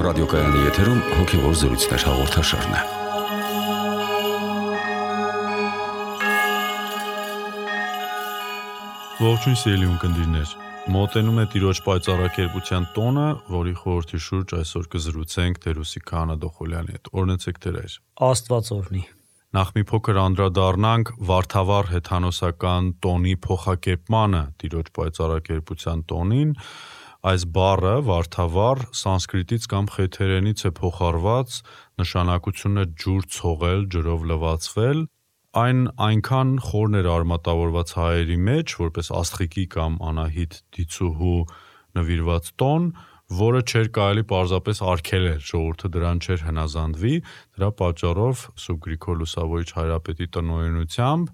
ռադիոկայանի եթերում հոգևոր զրույցներ հաղորդաշարն է։ Ողջույն սիրելի ունկնդիրներ, մոտենում է Տիրոջ պայծառակերպության տոնը, որի խորհրդի շուրջ այսօր կզրուցենք Տերուսի Քահանա Դոխոլյանի հետ։ Օրհնեցեք Տեր։ Աստված օրհնի։ Նախ մի փոքր անդրադառնանք վարդավառ հեթանոսական տոնի փոխակերպմանը Տիրոջ պայծառակերպության տոնին։ Այս բառը վարդավառ սանսկրիտից կամ խեթերենից է փոխառված, նշանակությունը ջուր ցողել, ջրով լվացվել։ Այն այնքան խորն էր արմատավորված հայերի մեջ, որպես աստղիկի կամ Անահիտ դիցուհու նվիրված տոն, որը չէր կարելի պարզապես արգելել, ժողովուրդը դրան չէր հնազանդվի, դրա պատճառով Սուրբ Գրիգոր Լուսավորիչ Հայրապետի տնօրինությամբ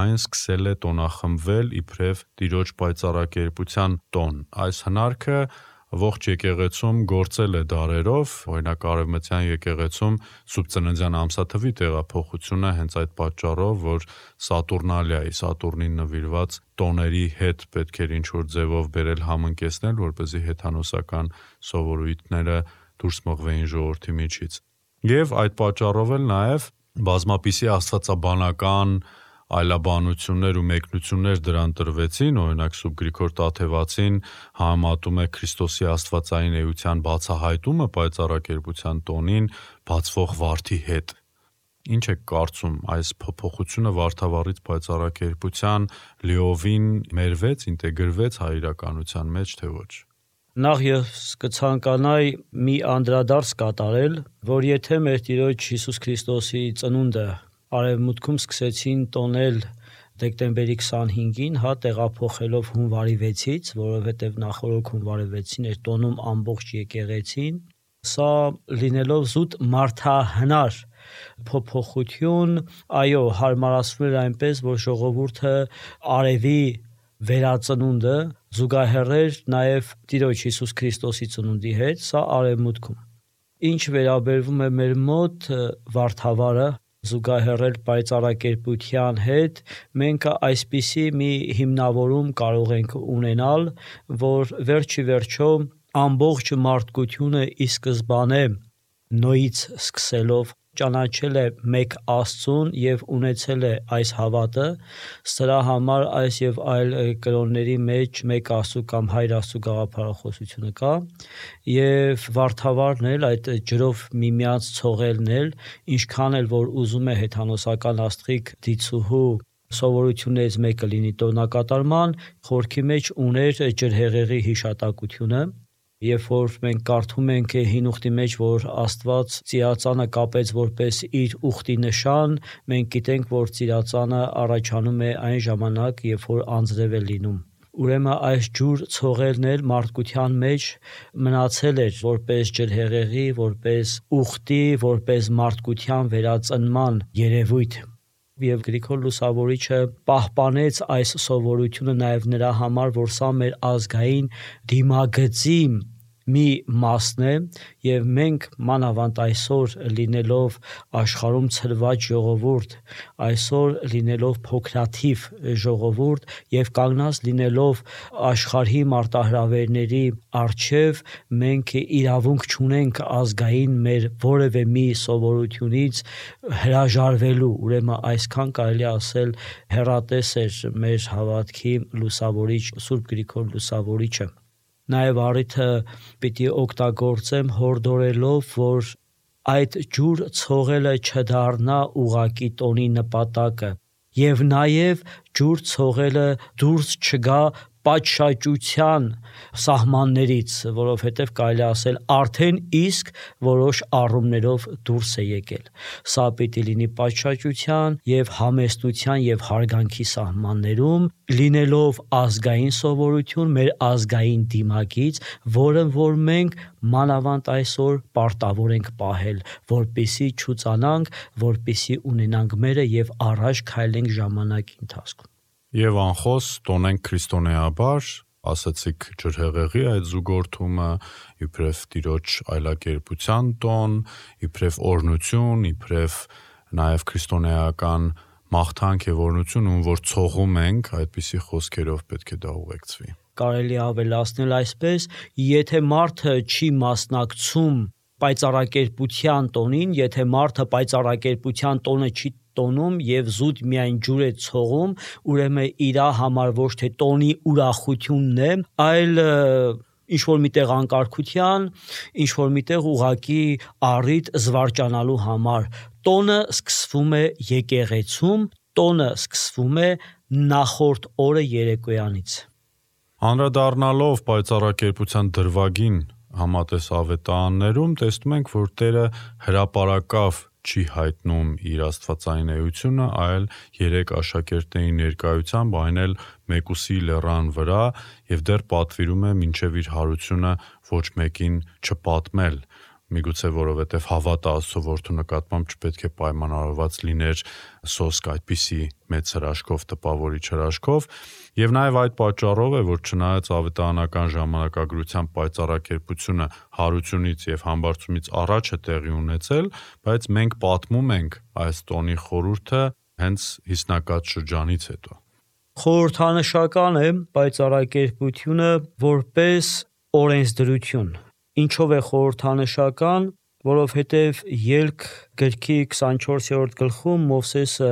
այն սկսել է տոնախմբվել իբրև Տիրոջ պայծառակերպության տոն։ Այս հնարքը ողջ եկեղեցում գործել է դարերով, օրինակ Արևմտյան եկեղեցում Սուրբ Ծննդյան ամսաթվի տեղափոխությունը հենց այդ պատճառով, որ Սատուրնալիայի, Սատուրնին նվիրված տոների հետ պետք էր ինչ-որ ձևով բերել համընկեցնել, որպեսզի հեթանոսական սովորույթները դուրս մղվեին ժողովրդի միջից։ Եվ այդ պատճառով էլ նաև բազմապիսի աստվածաբանական այլաբանություններ ու մեկնություններ դրան տրվեցին, օրինակ Սուրբ Գրիգոր Տաթևացին համեմատում է Քրիստոսի աստվածային էության բացահայտումը պայծառակերպության տոնին բացվող վարդի հետ։ Ինչ եք կարծում, այս փոփոխությունը վարդավառից պայծառակերպության լիովին մերվեց, ինտեգրվեց հայ իրականության մեջ, թե ոչ։ Նախ ես կցանկանայի մի անդրադարձ կատարել, որ եթե մեր Տիրոջ Հիսուս Քրիստոսի ծնունդը Արևմուտքում սկսեցին տոնել դեկտեմբերի 25-ին, տեղափոխելով հունվարի 6-ից, որովհետև նախորդ հունվարի 6-ին էր տոնում ամբողջ եկեղեցին, սա լինելով զուտ մարդահնար փոփոխություն, այո, հարմարացվել էր այնպես, որ ժողովուրդը արևի վերածնունդը զուգահեռ էր նաև Տիրոջ Հիսուս Քրիստոսի ծնունդի հետ, սա Արևմուտքում։ Ինչ վերաբերվում է մեր մոտ վարդավառը զուգահեռել պայծառակերպության հետ, մենք այսպիսի մի հիմնավորում կարող ենք ունենալ, որ վերջի վերջո ամբողջ մարդկությունը ի սկզբանե Նոյից սկսելով ճանաչել է մեկ Աստծուն և ունեցել է այս հավատը, սրա համար այս և այլ կրոնների մեջ մեկ Աստծու կամ Հայր Աստծու գաղափարախոսությունը կա, և վարդավառն էլ այդ ջրով միմյանց ցողելն էլ, ինչքան էլ որ ուզում է հեթանոսական աստղիկ դիցուհու սովորություններից մեկը լինի տոնակատարման, խորքի մեջ ուներ ջրհեղեղի հիշատակությունը, երբ որ մենք կարդում ենք Հին Ուխտի մեջ, որ Աստված ծիածանը կապեց որպես իր ուխտի նշան, մենք գիտենք, որ ծիածանը առաջանում է այն ժամանակ, երբ որ անձրև է լինում։ Ուրեմն այս ջուր ցողելն էլ մարդկության մեջ մնացել էր որպես ջրհեղեղի, որպես ուխտի, որպես մարդկության վերածնման երևույթ։ Եվ Գրիգոր Լուսավորիչը պահպանեց այս սովորությունը նաև նրա համար, որ սա մեր ազգային դիմագծի մի մասն է, և մենք մանավանդ այսօր լինելով աշխարհում ցրված ժողովուրդ, այսօր լինելով փոքրաթիվ ժողովուրդ և կանգնած լինելով աշխարհի մարտահրավերների առջև, մենք իրավունք չունենք ազգային մեր որևէ մի սովորությունից հրաժարվելու, ուրեմն այսքան կարելի ասել հեռատես էր մեր հավատքի լուսավորիչ Սուրբ Գրիգոր Լուսավորիչը։ Նաև առիթը պիտի օգտագործեմ հորդորելով, որ այդ ջուր ցողելը չդառնա ուղղակի տոնի նպատակը, և նաև ջուր ցողելը դուրս չգա պատշաճության սահմաններից, որովհետև կարելի ասել արդեն իսկ որոշ առումներով դուրս է եկել։ Սա պիտի լինի պատշաճության և համեստության և հարգանքի սահմաններում, լինելով ազգային սովորություն, մեր ազգային դիմագիծ, որը որ մենք մանավանդ այսօր պարտավոր ենք պահել, որպեսզի չուծանանք, որպեսզի ունենանք մերը և առաջ քայլենք ժամանակի ընթացքում։ Եվ անխոս տոնենք քրիստոնեաբար, ասացիք ջրհեղեղի այդ զուգորդումը, իբրև Տիրոջ այլակերպության տոն, իբրև օրհնություն, իբրև նաև քրիստոնեական մաղթանք եւ օրհնություն, ում որ ցողում ենք, այդպիսի խոսքերով պետք է դա ուղեկցվի։ Կարելի ավելացնել այսպես, եթե մարդը չի մասնակցում պայծառակերպության տոնին, եթե մարդը պայծառակերպության տոնը չի տոնում եւ զուտ միայն ջուր է ցողում, ուրեմն իր համար ոչ թե տոնի ուրախությունն է, այլ ինչ որ միտեղ անկարգության, ինչ որ միտեղ ուղակի առիթ զվարճանալու համար։ Տոնը սկսվում է եկեղեցում, տոնը սկսվում է նախորդ օրը երեկոյանից։ Անդրադառնալով պայծառակերպության դրվագին համատես ավետարաններում տեսնում ենք, որ Տերը հրապարակավ չի հայտնում իր աստվածային էությունը, այլ 3 աշակերտների ներկայությամբ, այն էլ մեկուսի լեռան վրա, եւ դեռ պատվիրում է մինչև իր հարությունը ոչ մեկին չպատմել, միգուցե որովհետև հավատը Աստծո որդու նկատմամբ չպետք է պայմանավորված լիներ սոսկ այդպիսի մեծ հրաշքով, տպավորիչ հրաշքով, եւ նաեւ այդ պատճառով է, որ չնայած ավետարանական ժամանակագրության պայծառակերպությունը հարությունից եւ համբարձումից առաջ է տեղի ունեցել, բայց մենք պատմում ենք այս տոնի խորհուրդը հենց հիսնակած շրջանից հետո։ Խորհրդանշական է պայծառակերպությունը որպես օրենսդրություն։ Ինչով է խորհրդանշական, որովհետև Ելք գրքի 24-րդ գլխում Մովսեսը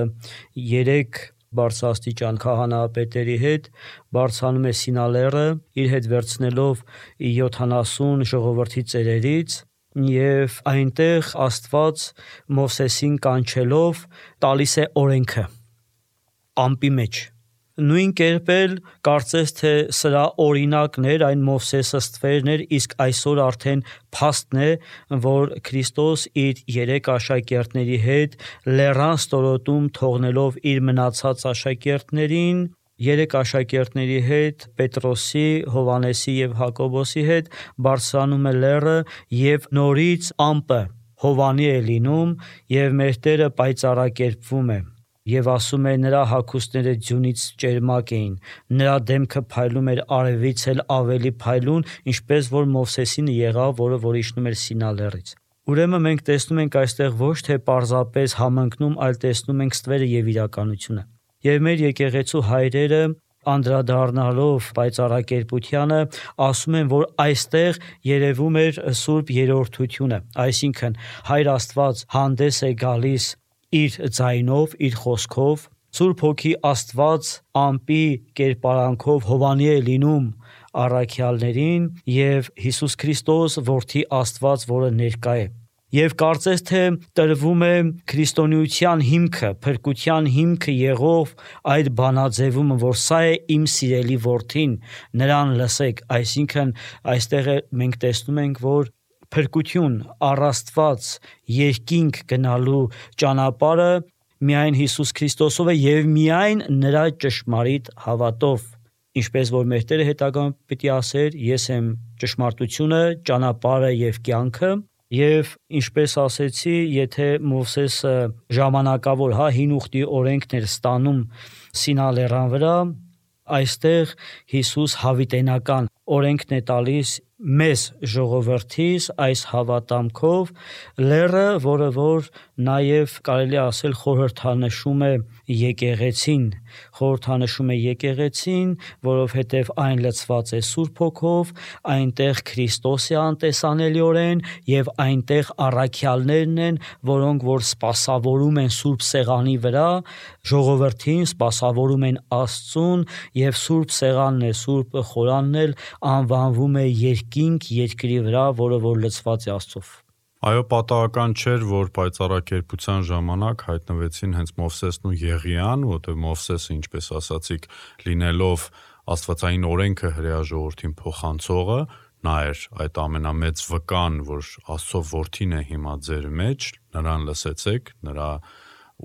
3 բարձրաստիճան քահանայապետերի հետ բարձրանում է Սինա լեռը, իր հետ վերցնելով 70 ժողովրդի ծերերից, եւ այնտեղ Աստված Մովսեսին կանչելով տալիս է օրենքը ամպի մեջ։ Նույն կերպ էլ կարծես թե սրա օրինակն էր, այն Մովսեսը ստվերն էր, իսկ այսօր արդեն փաստն է, որ Քրիստոս իր 3 աշակերտների հետ լեռան ստորոտում թողնելով իր մնացած աշակերտներին, 3 աշակերտների հետ Պետրոսի, Հովանեսի եւ Հակոբոսի հետ բարձրանում է լեռը եւ նորից ամպը Հովանի է լինում եւ մեր Տերը պայծառակերպվում է։ Եվ ասում է նրա հագուստները ձյունից ճերմակ էին, նրա դեմքը փայլում էր արևից էլ ավելի փայլուն, ինչպես որ Մովսեսին եղավ, որ իջնում էր Սինա լեռից։ Ուրեմն մենք տեսնում ենք այստեղ ոչ թե պարզապես համընկնում, այլ տեսնում ենք ստվերը եւ իրականությունը։ Եվ մեր եկեղեցու հայրերը անդրադառնալով պայծառակերպությանը ասում են, որ այստեղ երևում էր Սուրբ Երրորդությունը, այսինքն Հայր Աստված հանդես է գալիս իր ձայնով, իր խոսքով, Սուրբ Հոգի Աստված ամպի կերպարանքով Հովանի է լինում առաքյալներին եւ Հիսուս Քրիստոս որդի Աստված, որը ներկա է։ Եվ կարծես թե տրվում է քրիստոնեության հիմքը, փրկության հիմքը եղող այդ բանաձևումը, որ սա է իմ սիրելի որդին, նրան լսեք, այսինքն այստեղ մենք տեսնում ենք, որ փրկություն, առաստված, երկինք գնալու ճանապարհը միայն Հիսուս Քրիստոսով է եւ միայն նրա ճշմարիտ հավատով, ինչպես որ մեր Տերը հետագայում պիտի ասեր, ես եմ ճշմարտությունը, ճանապարհը եւ կյանքը, եւ ինչպես ասեցի, եթե Մովսեսը ժամանակավոր, հին ուխտի օրենքն էր ստանում Սինա լեռան վրա, այստեղ Հիսուս հավիտենական օրենքն է տալիս մեզ ժողովրդիս այս հավատամքով լեռը, որը որ նաև կարելի ասել խորհրդանշում է եկեղեցին, որովհետև այն լցված է Սուրբ Հոգով, այնտեղ Քրիստոս է անտեսանելիորեն եւ այնտեղ առաքյալներն են, որոնք որ սպասավորում են Սուրբ Սեղանի վրա, ժողովրդին սպասավորում են Աստծուն եւ Սուրբ Սեղանն է, Սուրբ Խորանն էլ անվանվում է երկինք երկրի վրա, որը որ լցված է Աստծով։ Այո, պատահական չէր, որ պայծառակերպության ժամանակ հայտնվեցին հենց Մովսեսն ու Եղիան, որտեղ Մովսեսը, ինչպես ասացիք, լինելով աստվածային օրենքը հրեա ժողովրդին փոխանցողը, նա էր այդ ամենամեծ վկան, որ Աստծո որդին է հիմա ձեր մեջ, նրան լսեցեք, նրա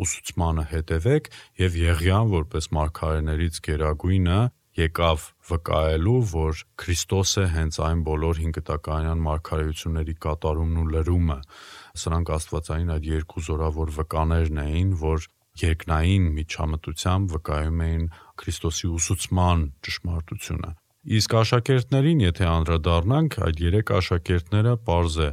ուսուցմանը հետևեք, եւ Եղիան, որպես մարգարեներից գերագույնը, եկավ վկայելու, որ Քրիստոս է հենց այն բոլոր հինկտականյան մարգարեությունների կատարումն ու լրումը։ Սրանք աստվածային այդ երկու զորավոր վկաներն էին, որ երկնային միջամտությամբ վկայում էին Քրիստոսի ուսուցման ճշմարտությունը։ Իսկ աշակերտներին, եթե անդրադառնանք, այդ 3 աշակերտները պարզ է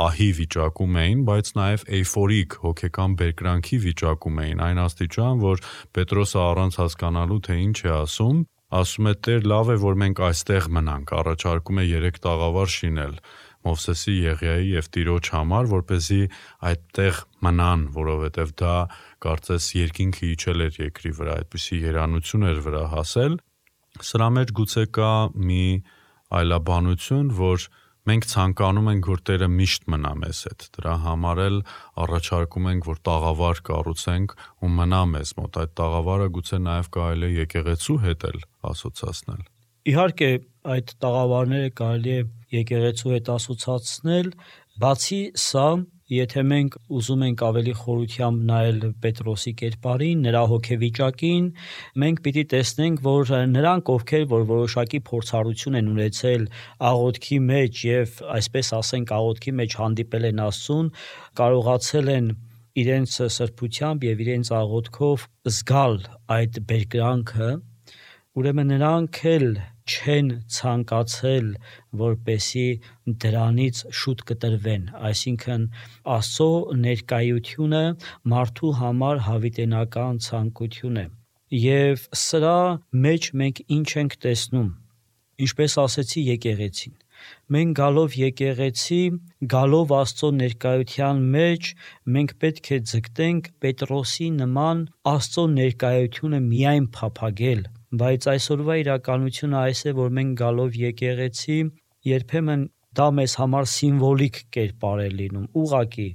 ահի վիճակում էին, բայց նաև էյֆորիկ հոգեկան բերկրանքի վիճակում էին, այն աստիճան, որ Պետրոսը առանց հասկանալու թե ինչ է ասում է Տեր լավ է, որ մենք այստեղ մնանք, առաջարկում է 3 տաղավար շինել, Մովսեսի, Եղիայի եւ Տիրոջ համար, որպեսզի այդտեղ մնան, որովհետեւ դա կարծես երկինքը իջել էր երկրի վրա, այդպիսի երանություն էր վրա հասել։ Սրա մեջ գուցե կա մի այլաբանություն, որ մենք ցանկանում ենք, որ Տերը միշտ մնա մեզ հետ։ Դրա համար էլ առաջարկում ենք, որ տաղավար կառուցենք ու մնա մեզ մոտ։ Այդ տաղավարը գուցե նաև կարելի է եկեղեցու հետ էլ ասոցացնել։ Իհարկե, այդ տաղավարները կարելի է եկեղեցու հետ ասոցացնել, բացի սա, եթե մենք ուզում ենք ավելի խորությամբ նայել Պետրոսի կերպարին, նրա հոգեվիճակին, մենք պիտի տեսնենք, որ նրանք, ովքեր որ որոշակի փորձառություն են ունեցել աղոթքի մեջ եւ այսպես ասենք աղոթքի մեջ հանդիպել են Աստծուն, կարողացել են իրենց սրբությամբ եւ իրենց աղոթքով զգալ այդ բերկրանքը, ուրեմն նրանք էլ չեն ցանկացել, որպեսի դրանից շուտ կտրվեն, այսինքն Աստծո ներկայությունը մարդու համար հավիտենական ցանկություն է։ Եվ սրա մեջ մենք ինչ ենք տեսնում, ինչպես ասեցի եկեղեցին։ Մենք գալով եկեղեցի, գալով Աստծո ներկայության մեջ, մենք պետք է ձգտենք Պետրոսի նման Աստծո ներկայությունը միայն փափագել, բայց այսօրվա իրականությունը այս է, որ մենք գալով եկեղեցի, երբեմն դա մեզ համար սիմվոլիկ կերպար է լինում, ուղղակի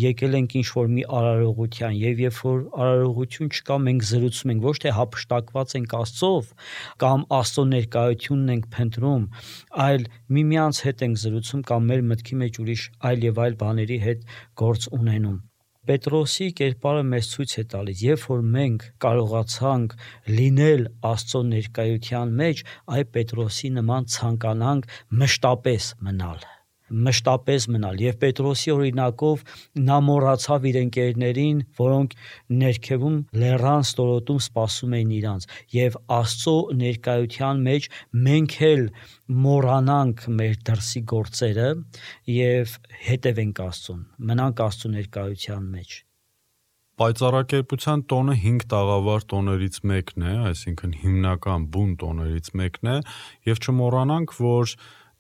եկել ենք ինչ-որ մի արարողության եւ երբ որ արարողություն չկա, մենք զրուցում ենք, ոչ թե հափշտակված ենք Աստծով կամ Աստծո ներկայությունն ենք փնտրում, այլ միմյանց հետ ենք զրուցում կամ մեր մտքի մեջ ուրիշ այլ եւ այլ բաների հետ գործ ունենում։ Պետրոսի կերպարը մեզ ցույց է տալիս, երբ որ մենք կարողացանք լինել Աստծո ներկայության մեջ, այ Պետրոսի նման ցանկանանք մշտապես մնալ եւ Պետրոսի օրինակով նա մոռացավ իր ընկերներին, որոնք ներքևում լեռան ստորոտում սպասում էին իրանց եւ Աստծո ներկայության մեջ մենք էլ մոռանանք մեր դրսի գործերը եւ հետևենք Աստծուն, մնանք Աստծո ներկայության մեջ։ Պայծառակերպության տոնը 5 տաղավար տոներից մեկն է, այսինքն հիմնական բուն տոներից մեկն է, եւ չմոռանանք, որ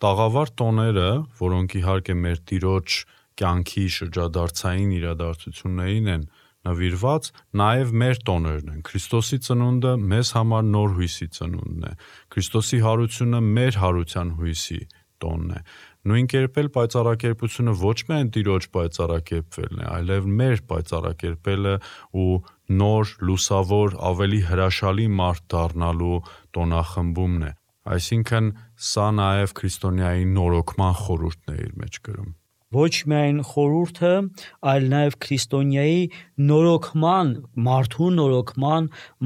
տաղավար տոները, որոնք իհարկե մեր Տիրոջ կյանքի շրջադարձային իրադարձություններին են նվիրված, նաև մեր տոներն են։ Քրիստոսի ծնունդը մեզ համար նոր հույսի ծնունդն է։ Քրիստոսի հարությունը մեր հարության հույսի տոնն է։ Նույն կերպ էլ պայծառակերպությունը ոչ միայն Տիրոջ պայծառակերպվելն է, այլև մեր պայծառակերպելը ու նոր, լուսավոր, ավելի հրաշալի մարդ դառնալու տոնախմբումն է։ Այսինքն սա նաև քրիստոնյայի նորոգման խորհուրդն է իր մեջ կրում։ Ոչ միայն խորհուրդը, այլ նաև քրիստոնյայի նորոգման,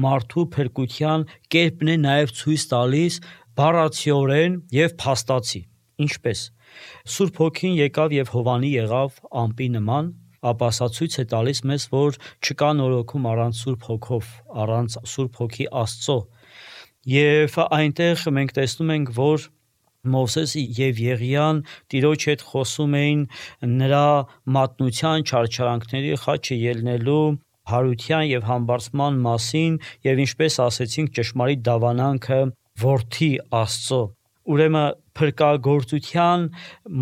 մարդու փրկության կերպն է նաև ցույց տալիս բառացիորեն եւ փաստացի։ Ինչպես Սուրբ Հոգին եկավ եւ Հովանի եղավ ամպի նման, ապա սա ցույց է տալիս մեզ, որ չկա նորոգում առանց Սուրբ Հոգով, առանց Սուրբ Հոգի Աստծո։ Եվ այնտեղ մենք տեսնում ենք, որ Մովսեսը եւ Եղիան Տիրոջ հետ խոսում էին նրա մատնության, չարչարանքների խաչը ելնելու, հարության եւ համբարձման մասին եւ ինչպես ասեցինք ճշմարիտ դավանանքը որդի Աստծո։ Ուրեմն փրկagorցության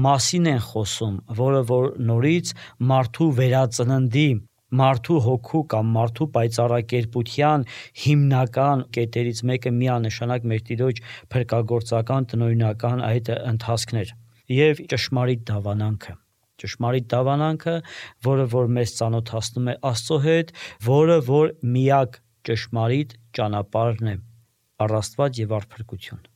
մասին են խոսում, որը որ նորից մարդու վերածննդի, մարդու հոգու կամ մարդու պայծառակերպության հիմնական կետերից մեկը միանշանակ մեր Տիրոջ փրկagorցական տնօրինական այդ ընթացքն էր եւ ճշմարիտ դավանանքը, որը որ մեզ ծանոթացնում է Աստծո հետ, որը որ միակ ճշմարիտ ճանապարհն է, առաստված եւ առփրկություն։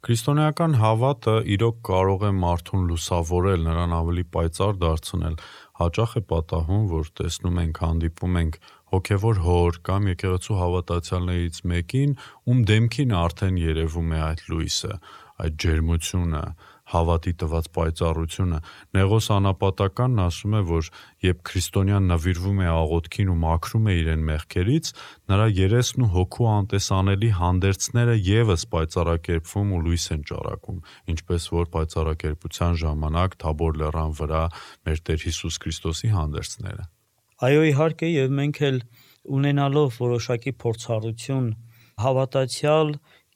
Քրիստոնեական հավատը իրոք կարող է մարդուն լուսավորել, նրան ավելի պայծառ դարձնել։ Հաճախ է պատահում, որ տեսնում ենք, հանդիպում ենք հոգևոր հոր կամ եկեղեցու հավատացյալներից մեկին, ում դեմքին արդեն երևում է այդ լույսը, այդ ջերմությունը, հավատի տված պայծառությունը։ Նեղոս Անապատականն ասում է, որ երբ քրիստոնյան նվիրվում է աղոթքին ու մաքրում է իրեն մեղքերից, նրա երեսն ու հոգու անտեսանելի հանդերձները եւս պայծառակերպվում ու լույս են ճառագում, ինչպես որ պայծառակերպության ժամանակ Թաբոր լեռան վրա մեր Տեր Հիսուս Քրիստոսի հանդերձները։ Այո, իհարկե, եւ մենք էլ ունենալով որոշակի փորձառություն, հավատացյալ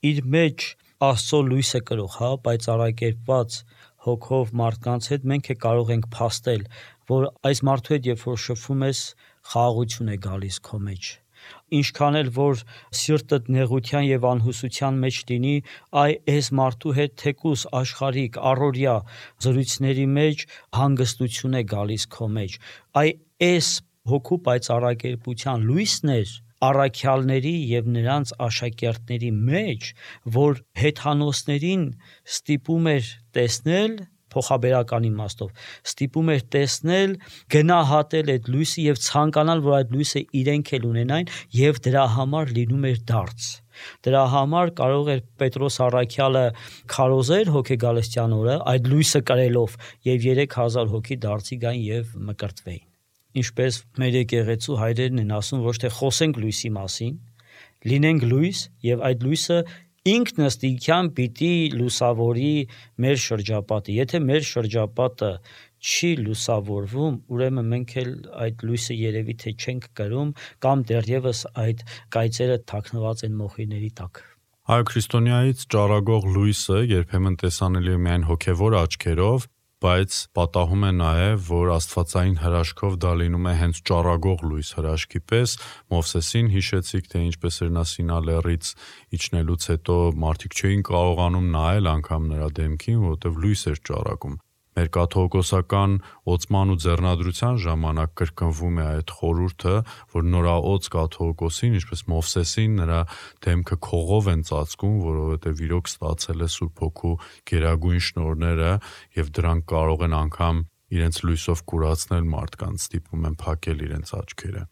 իր մեջ Աստծո լույսը կրող, պայծառակերպված հոգով մարդկանց հետ, մենք կարող ենք փաստել, որ այս մարդու հետ երբ որ շփվում ես, խաղաղություն է գալիս քո մեջ։ Ինչքան էլ որ սիրտդ նեղության եւ անհուսության մեջ լինի, այս մարդու հետ թեկուս աշխարհիկ առօրյա զրույցների մեջ հանգստություն է գալիս քո մեջ։ Այս հոգու պայծառակերպության լույսներ առաքյալների եւ նրանց աշակերտների մեջ, որ հեթանոսներին ստիպում էր տեսնել, փոխաբերական իմաստով ստիպում էր տեսնել, գնահատել այդ լույսը եւ ցանկանալ, որ այդ լույսը իրենք էլ ունենային եւ դրա համար լինում էր դարձ։ Դրա համար կարող էր Պետրոս առաքյալը քարոզեր հոգեգալստյան օրը այդ լույսը կրելով եւ 3000 հոգի դարձի գային եւ մկրտվեին։ Ինչպես մեր եկեղեցու հայրերն են ասում, ոչ թե խոսենք լույսի մասին, լինենք լույս եւ այդ լույսը ինքնըստինքյան պիտի լուսավորի մեր շրջապատը։ Եթե մեր շրջապատը չի լուսավորվում, ուրեմն մենք էլ այդ լույսը երևի թե չենք կրում կամ դեռևս այդ կայծերը թաքնված են մոխիրների տակ։ Այո, քրիստոնեայից ճառագող լույսը երբեմն տեսանելի է միայն հոգևոր աչքերով, բայց պատահում է նաև, որ աստվածային հրաշքով դա լինում է հենց ճառագող լույս հրաշքի պես։ Մովսեսին հիշեցիք, թե ինչպես էր նա Սինա լեռից իջնելուց հետո մարդիկ չէին կարողանում նայել անգամ նրա դեմքին, որովհետև լույս էր ճառագում։ Մեր կաթողիկոսական օծման ու ձեռնադրության ժամանակ կրկնվում է այդ խորհուրդը, որ նորաոց կաթողիկոսին, ինչպես Մովսեսին, նրա դեմքը քողով են ծածկում, որովհետև իրոք ստացել է Սուրբ Հոգու գերագույն շնորհները եւ դրանք կարող են անգամ իրենց լույսով կուրացնել մարդկանց, ստիպում են փակել իրենց աչքերը։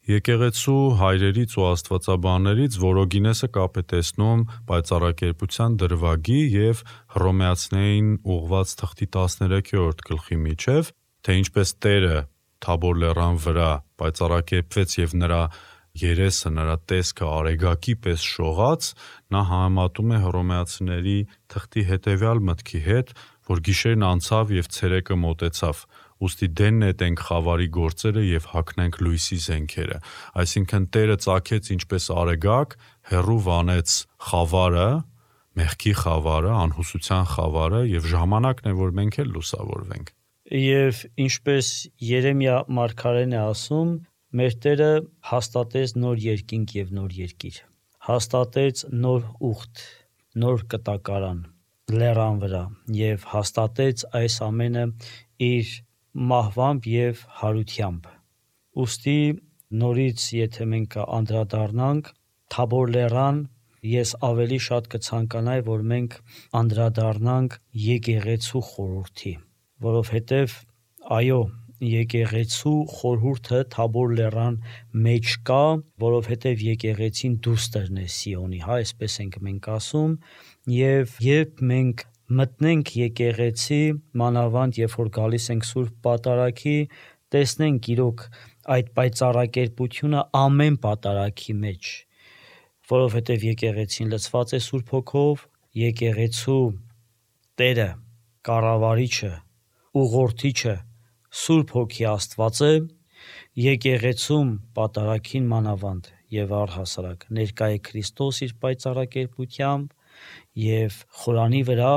Եկեղեցու հայրերից ու աստվածաբաններից Որոգինեսը կապ է տեսնում պայծառակերպության դրվագի եւ Հռոմեացիներին ուղված թղթի 13-րդ գլխի միջև, թե ինչպես Տերը Թաբոր լեռան վրա պայծառակերպվեց եւ նրա երեսը, նրա տեսքը արեգակի պես շողաց, նա համեմատում է հռոմեացիների թղթի հետեւյալ մտքի հետ, որ գիշերն անցավ եւ ցերեկը մոտեցավ, ուստի դեն նետենք խավարի գործերը եւ հագնենք լույսի զենքերը։ Այսինքն Տերը ծագեց ինչպես արեգակ, հեռու վանեց խավարը, մեղքի խավարը, անհուսության խավարը եւ ժամանակն է, որ մենք էլ լուսավորվենք։ Եվ ինչպես Երեմիա մարգարեն է ասում, մեր Տերը հաստատեց նոր երկինք եւ նոր երկիր, հաստատեց նոր ուխտ, նոր կտակարան լեռան վրա եւ հաստատեց այս ամենը իր մահվամբ եւ հարությամբ։ Ուստի նորից եթե մենք անդրադառնանք Թաբոր լեռան, ես ավելի շատ կցանկանայի, որ մենք անդրադառնանք եկեղեցու խորհրդի, որովհետեւ այո, եկեղեցու խորհուրդը Թաբոր լեռան մեջ կա, որովհետև եկեղեցին դուստերն է Սիոնի, այսպես ենք մենք ասում, եւ երբ մենք մտնենք եկեղեցի, մանավանդ երբ որ գալիս ենք Սուրբ Պատարագի, տեսնենք իրոք այդ պայծառակերպությունը ամեն պատարագի մեջ, որովհետև եկեղեցին լցված է Սուրբ Հոգով, եկեղեցու Տերը, կառավարիչը, ուղղորդիչը Սուրբ Հոգի Աստված է, եկեղեցում պատարագին մանավանդ եւ առհասարակ ներկա է Քրիստոս իր պայծառակերպությամբ եւ խորանի վրա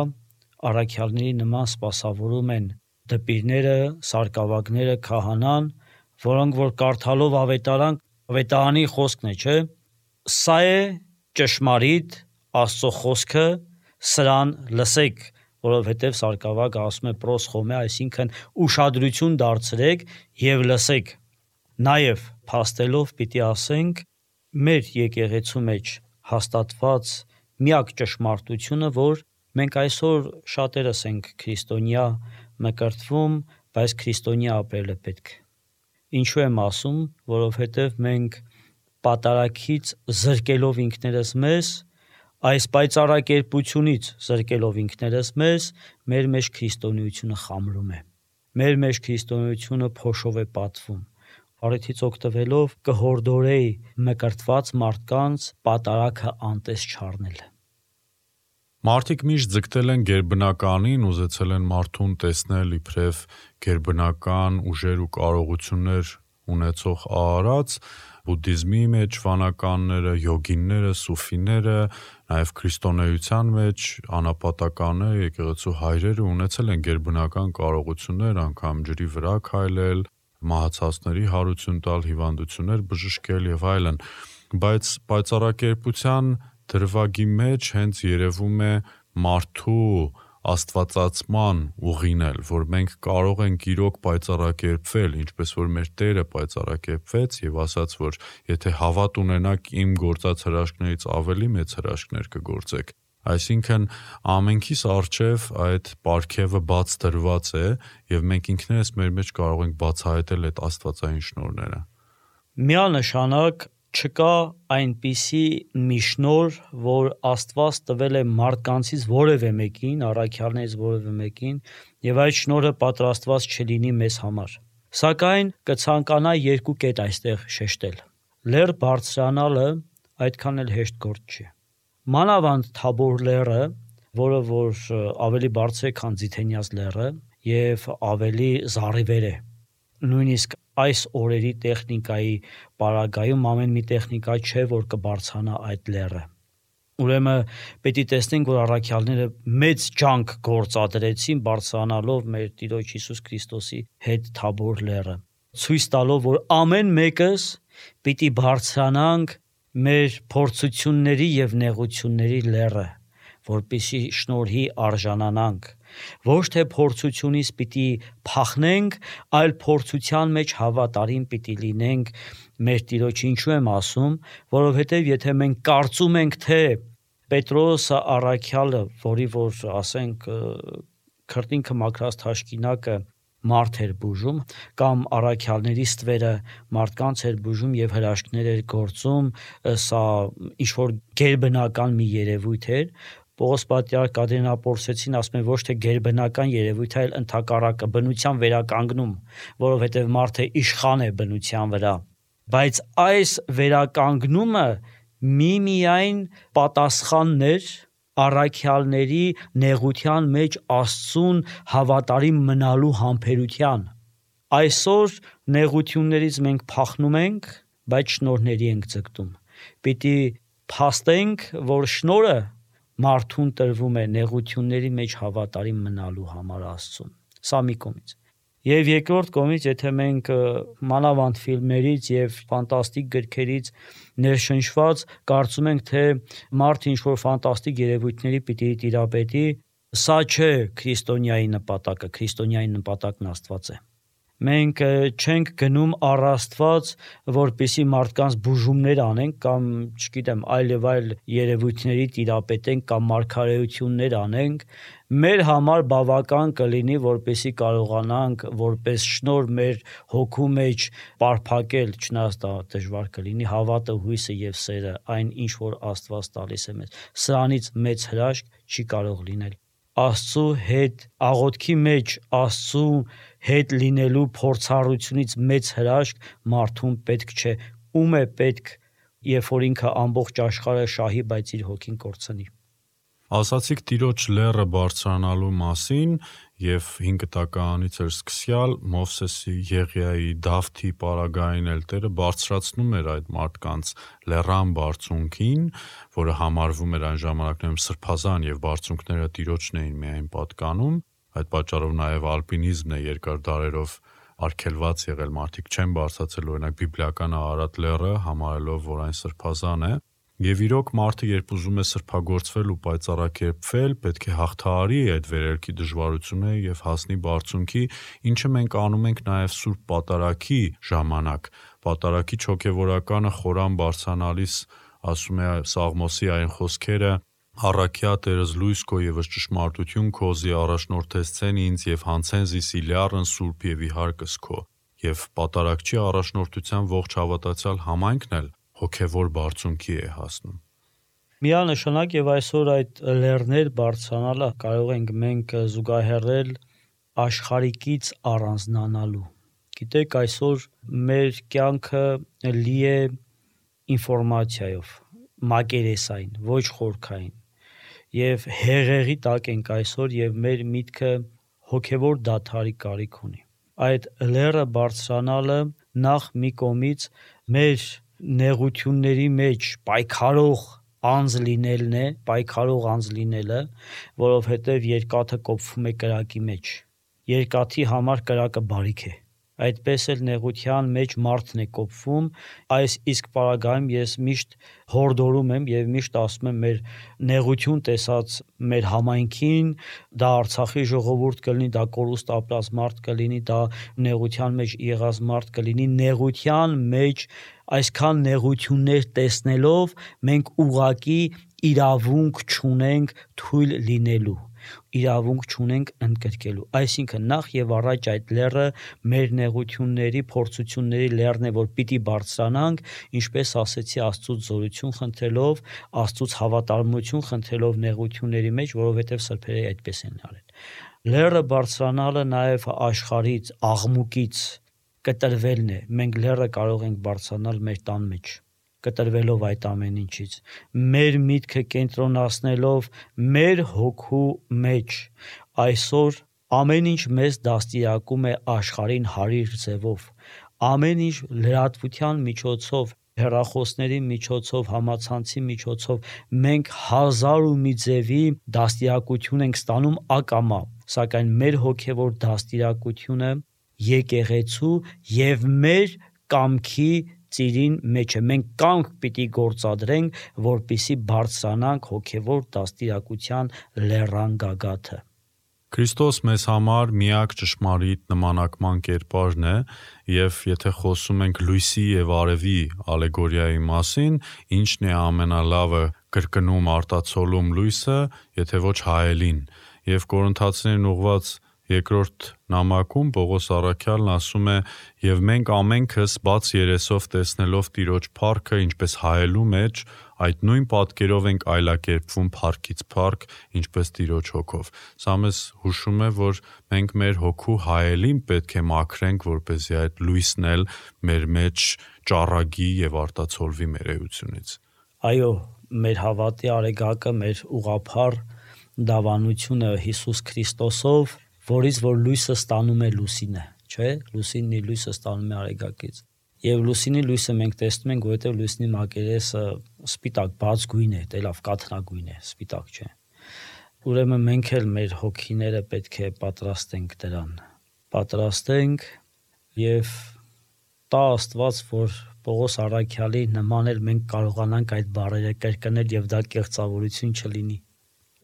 առաքյալների նման սպասավորում են դպիրները, սարկավագները, քահանան, որոնք որ կարդալով ավետարանի խոսքն է, չէ՞։ Սա է ճշմարիտ Աստծո խոսքը, սրան լսեք, որովհետև սարկավագը ասում է պրոսխոմե, այսինքն ուշադրություն դարձրեք եւ լսեք։ Նաեւ փաստելով պիտի ասենք մեր եկեղեցու մեջ հաստատված միակ ճշմարտությունը, որ մենք այսօր շատերս ենք քրիստոնյա մկրտվում, բայց քրիստոնյա ապրելը պետք։ Ինչու եմ ասում, որովհետև մենք պատարագից զրկելով ինքներս մեզ, այս պայծառակերպությունից զրկելով ինքներս մեզ, մեր մեջ քրիստոնեությունը խամրում է։ Մեր մեջ քրիստոնեությունը փոշով է պատվում։ Առիթից օգտվելով կհորդորեի մկրտված մարդկանց պատարագը անտես չառնել։ Մարդիկ միշտ ձգտել են գերբնականին, ուզեցել են մարդուն տեսնել իբրև գերբնական ուժեր ու կարողություններ ունեցող արարած, բուդդիզմի մեջ վանականները, յոգիները, սուֆիները, նաև քրիստոնեության մեջ անապատականները, եկեղեցու հայրերը ունեցել են գերբնական կարողություններ, անգամ ջրի վրա քայլել, մահացածների հարություն տալ, հիվանդություններ բժշկել եւ այլն, բայց պայծառակերպության դրվագի մեջ հենց երևում է մարդու աստվածացման ուղին էլ, որ մենք կարող ենք իրոք պայծառակերպվել, ինչպես որ մեր Տերը պայծառակերպվեց եւ ասաց, որ եթե հավատ ունենաք իմ գործած հրաշքներից ավելի մեծ հրաշքներ կգործեք։ Այսինքն ամենքիս առջև այդ պարգևը բաց դրված է եւ մենք ինքներս մեր մեջ կարող ենք բացահայտել այդ աստվածային շնորհները։ Միանշանակ չկա այնպիսի մի շնորհ, որ Աստված տվել է մարդկանցից որևէ մեկին, առաքյալներից որևէ մեկին, եւ այդ շնորհը պատրաստված չլինի մեզ համար։ Սակայն կցանկանա երկու կետ այստեղ շեշտել։ Լեռ բարձրանալը այդքան էլ հեշտ գործ չի։ Մանավանդ Թաբոր լեռը, որը որ ավելի բարձր է, քան Ձիթենյաց լեռը եւ ավելի զառիվեր է։ Նույնիսկ այս օրերի տեխնիկայի պարագայում ամեն մի տեխնիկա չէ, որ կբարձրանա այդ լեռը։ Ուրեմն պետք է տեսնենք, որ առաքյալները մեծ ջանք գործադրեցին բարձրանալով մեր Տիրոջ Հիսուս Քրիստոսի հետ Թաբոր լեռը, ցույց տալով, որ ամեն մեկս պիտի բարձրանանք մեր փորձությունների եւ նեղությունների լեռը, որպեսզի շնորհի արժանանանք։ Ոչ թե փորձությունից պիտի փախնենք, այլ փորձության մեջ հավատարիմ պիտի լինենք մեր Տիրոջ։ Ինչու եմ ասում, որովհետև եթե մենք կարծում ենք, թե Պետրոսը առաքյալը, որի որ ասենք քրտինքը մաքրած թաշկինակը մարդ էր բուժում, կամ առաքյալների ստվերը մարդկանց էր բուժում եւ հրաշքներ էր գործում, սա ինչ որ գերբնական մի երևույթ էր։ Պողոս պատրիարք Կադրինապոլսեցին ասում է ոչ թե գերբնական երևույթ, այլ ընդհակառակը բնության վերականգնում, որովհետև մարդը իշխան է բնության վրա։ Բայց այս վերականգնումը միմիայն պատասխանն էր առաքյալների նեղության մեջ Աստծուն հավատարիմ մնալու համբերության։ Այսօր նեղություններից մենք փախնում ենք, բայց շնորհների ենք ձգտում։ Պիտի փաստենք, որ շնորհը մարդուն տրվում է նեղությունների մեջ հավատարիմ մնալու համար Աստծուն։ Սա մի կողմից։ Եվ երկրորդ կողմից, եթե մենք մանավանդ ֆիլմերից եւ ֆանտաստիկ գրքերից ներշնչված կարծում ենք, թե մարդը ինչ որ ֆանտաստիկ երևույթների պիտի տիրապետի, սա չէ քրիստոնյայի նպատակը, քրիստոնյայի նպատակն Աստված է։ Մենք չենք գնում առ Աստված, որպեսզի մարդկանց բուժումներ անենք կամ, չգիտեմ, այլ եւ այլ երևույթների տիրապետենք կամ մարգարեություններ անենք, մեր համար բավական կլինի, որպեսզի կարողանանք որպես շնորհ մեր հոգու մեջ պարփակել, չնայած դա դժվար կլինի, հավատը, հույսը եւ սերը, այն ինչ որ Աստված տալիս է մեզ։ Սրանից մեծ հրաշք չի կարող լինել։ Աստծու հետ աղոթքի մեջ Աստծու հետ լինելու փորձառությունից մեծ հրաշք մարդուն պետք չէ։ Ում է պետք, երբ որ ինքը ամբողջ աշխարհը շահի, բայց իր հոգին կորցնի։ Ասացիք Տիրոջ լեռը բարձրանալու մասին եւ 5 տականից էր սկսյալ Մովսեսի, Եղիայի, Դավթի պարագային էլ Տերը բարձրացնում էր այդ մարդկանց լեռան բարձունքին, որը համարվում էր այն ժամանակներում սրբազան եւ բարձունքները Տիրոջն էին միայն պատկանում։ Այդ պատճառով նաեւ ալպինիզմն է երկար դարերով արգելված եղել, մարդիկ չեն բարձրացել օրինակ բիբլիական Արարատ լեռը, համարելով, որ այն սրբազան է։ Եվ իրոք մարդը երբ ուզում է սրբագործվել ու պայծառակերպվել, պետք է հաղթահարի այդ վերելքի դժվարությունը եւ հասնի բարձունքի, ինչը մենք անում ենք նաեւ Սուրբ Պատարագի ժամանակ։ Պատարագի հոգեվորականը խորան բարձրանալիս ասում է Սաղմոսի այն խոսքերը. «Առաքյա Տերս լույս քո եւս ճշմարտություն քոզի առաջնորդեցեն ինձ եւ հանցեն զիս իլյարն սուրբ եւ իհարկս քո»։ Եվ Պատարագչի առաջնորդության ողջ հավատացյալ համայնքն էլ հոգևոր բարձունքի է հասնում։ Միանշանակ եւ այսօր այդ լեռներ բարձրանալը կարող ենք մենք զուգահեռել աշխարհիկից առանձնանալու։ Գիտեք, այսօր մեր կյանքը լի է ինֆորմացիայով, մակերեսային, ոչ խորքային։ Եվ հեղեղի տակ ենք այսօր եւ մեր միտքը հոգևոր դադարի կարիք ունի։ Այդ լեռը բարձրանալը նախ մի կողմից մեր նեղությունների մեջ պայքարող անձ լինելն է, պայքարող անձ լինելը, որովհետև երկաթը կոփվում է կրակի մեջ։ Երկաթի համար կրակը բարիք է։ Այդպես էլ նեղության մեջ մարդն է կոփվում, իսկ պարագայում ես միշտ հորդորում եմ եւ միշտ ասում եմ մեր նեղություն տեսած մեր համայնքին, դա Արցախի ժողովուրդ կլինի, դա կորուստ ապրած մարդ կլինի, դա նեղության մեջ եղած մարդ կլինի, նեղության մեջ այսքան նեղություններ տեսնելով մենք ուղակի իրավունք չունենք թույլ լինելու, իրավունք չունենք ընդգրկելու։ Այսինքն նախ եւ առաջ այդ լեռը մեր նեղությունների, փորձությունների լեռն է, որ պիտի բարձրանանք, ինչպես ասեցի, Աստծուց զորություն խնդրելով, Աստծուց հավատարմություն խնդրելով նեղությունների մեջ, որովհետեւ սրբերը այդպես են արել։ Լեռը բարձրանալը նաեւ աշխարհից, աղմուկից կտրվելն է։ Մենք լեռը կարող ենք բարձրանալ մեր տան մեջ, կտրվելով այդ ամեն ինչից, մեր միտքը կենտրոնացնելով մեր հոգու մեջ։ Այսօր ամեն ինչ մեզ դաստիարակում է աշխարհին հարիր ձևով, ամեն ինչ լրատվության միջոցով, հեռախոսների միջոցով, համացանցի միջոցով մենք հազար ու մի ձևի դաստիարակություն ենք ստանում ակամա, սակայն մեր հոգևոր դաստիարակությունը եկեղեցու եւ մեր կամքի ծիրին մեջ է։ Մենք կամք պիտի գործադրենք, որպիսի բարձրանանք հոգևոր դաստիարակության լեռան գագաթը։ Քրիստոս մեզ համար միակ ճշմարիտ նմանակման կերպարն է, եւ եթե խոսում ենք լույսի եւ արևի ալեգորիայի մասին, ինչն է ամենալավը կրկնում արտացոլում լույսը, եթե ոչ հայելին։ Եվ Կորինթացիներին ուղված երկրորդ նամակում Պողոս առաքյալն ասում է. «Եվ մենք ամենքս բաց երեսով տեսնելով Տիրոջ փառքը, ինչպես հայելու մեջ, այդ նույն պատկերով ենք այլակերպվում փառքից փառք, ինչպես Տիրոջ հոգով»։ Սա մեզ հուշում է, որ մենք մեր հոգու հայելին պետք է մաքրենք, որպեսզի այդ լույսն էլ մեր մեջ ճառագի եւ արտացոլվի մեր էությունից։ Այո, մեր հավատի արեգակը, մեր ուղափառ դավանությունը Հիսուս Քրիստոսով, որից որ լույսը ստանում է լուսինը, չէ՞, լուսինի լույսը ստանում է արեգակից։ Եվ լուսինի լույսը մենք տեսնում ենք, որովհետև լուսինի մակերեսը սպիտակ բաց գույն է, դե լավ կաթնագույն է, սպիտակ չէ։ Ուրեմն մենք էլ մեր հոգիները պետք է պատրաստենք դրան։ Պատրաստենք եւ տա Աստված, որ Պողոս առաքյալի նման էլ մենք կարողանանք այդ բառերը կրկնել եւ դա կեղծավորություն չլինի։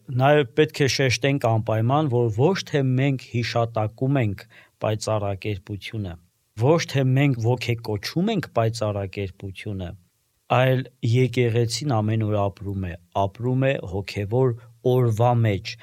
Նաև պետք է շեշտենք անպայման, որ ոչ թե մենք հիշատակում ենք պայծառակերպությունը, ոչ թե մենք ոգեկոչում ենք պայծառակերպությունը, այլ եկեղեցին ամեն օր ապրում է հոգևոր օրվա մեջ։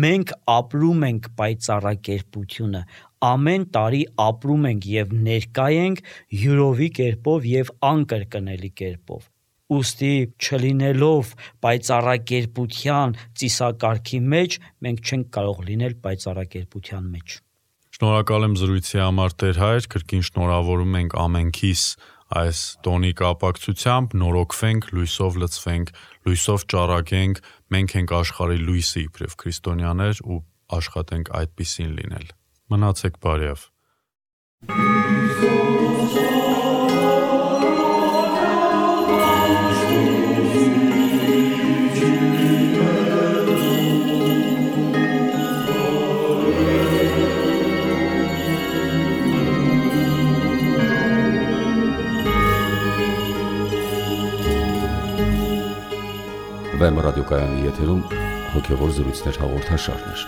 Մենք ապրում ենք պայծառակերպությունը, ամեն տարի ապրում ենք եւ ներկա ենք յուրովի կերպով եւ անկրկնելի կերպով։ Ուստի չլինելով պայծառակերպության ծիսակարգի մեջ, մենք չենք կարող լինել պայծառակերպության մեջ։ Շնորհակալ եմ զրույցի համար Տեր Հայր, կրկին շնորհավորում ենք ամենքիս այս տոնի կապակցությամբ, նորոգվենք, լույսով լցվենք, լույսով ճառագենք, մենք ենք աշխարհի լույսը իբրև քրիստոնյաներ ու աշխատենք այդպիսին լինել։ Մնացեք բարյավ։ Վեմ ռադիոկայանի եթերում հոգևոր զրույցներ հաղորդաշարներ։